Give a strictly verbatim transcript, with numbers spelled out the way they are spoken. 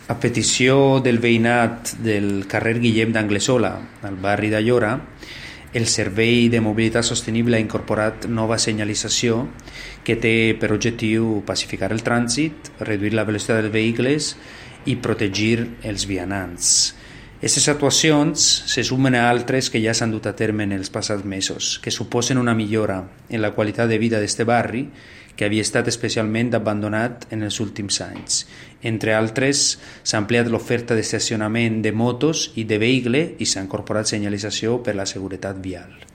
A petició del veïnat del carrer Guillem d'Anglesola, al barri d'Allora, el Servei de Mobilitat Sostenible ha incorporat nova senyalització que té per objectiu pacificar el trànsit, reduir la velocitat dels vehicles i protegir els vianants. Aquestes actuacions se sumen a altres que ja s'han dut a terme en els passats mesos, que suposen una millora en la qualitat de vida d'aquest barri, que havia estat especialment abandonat en els últims anys. Entre altres, s'ha ampliat l'oferta d'estacionament de motos i de vehicle i s'ha incorporat senyalització per la seguretat vial.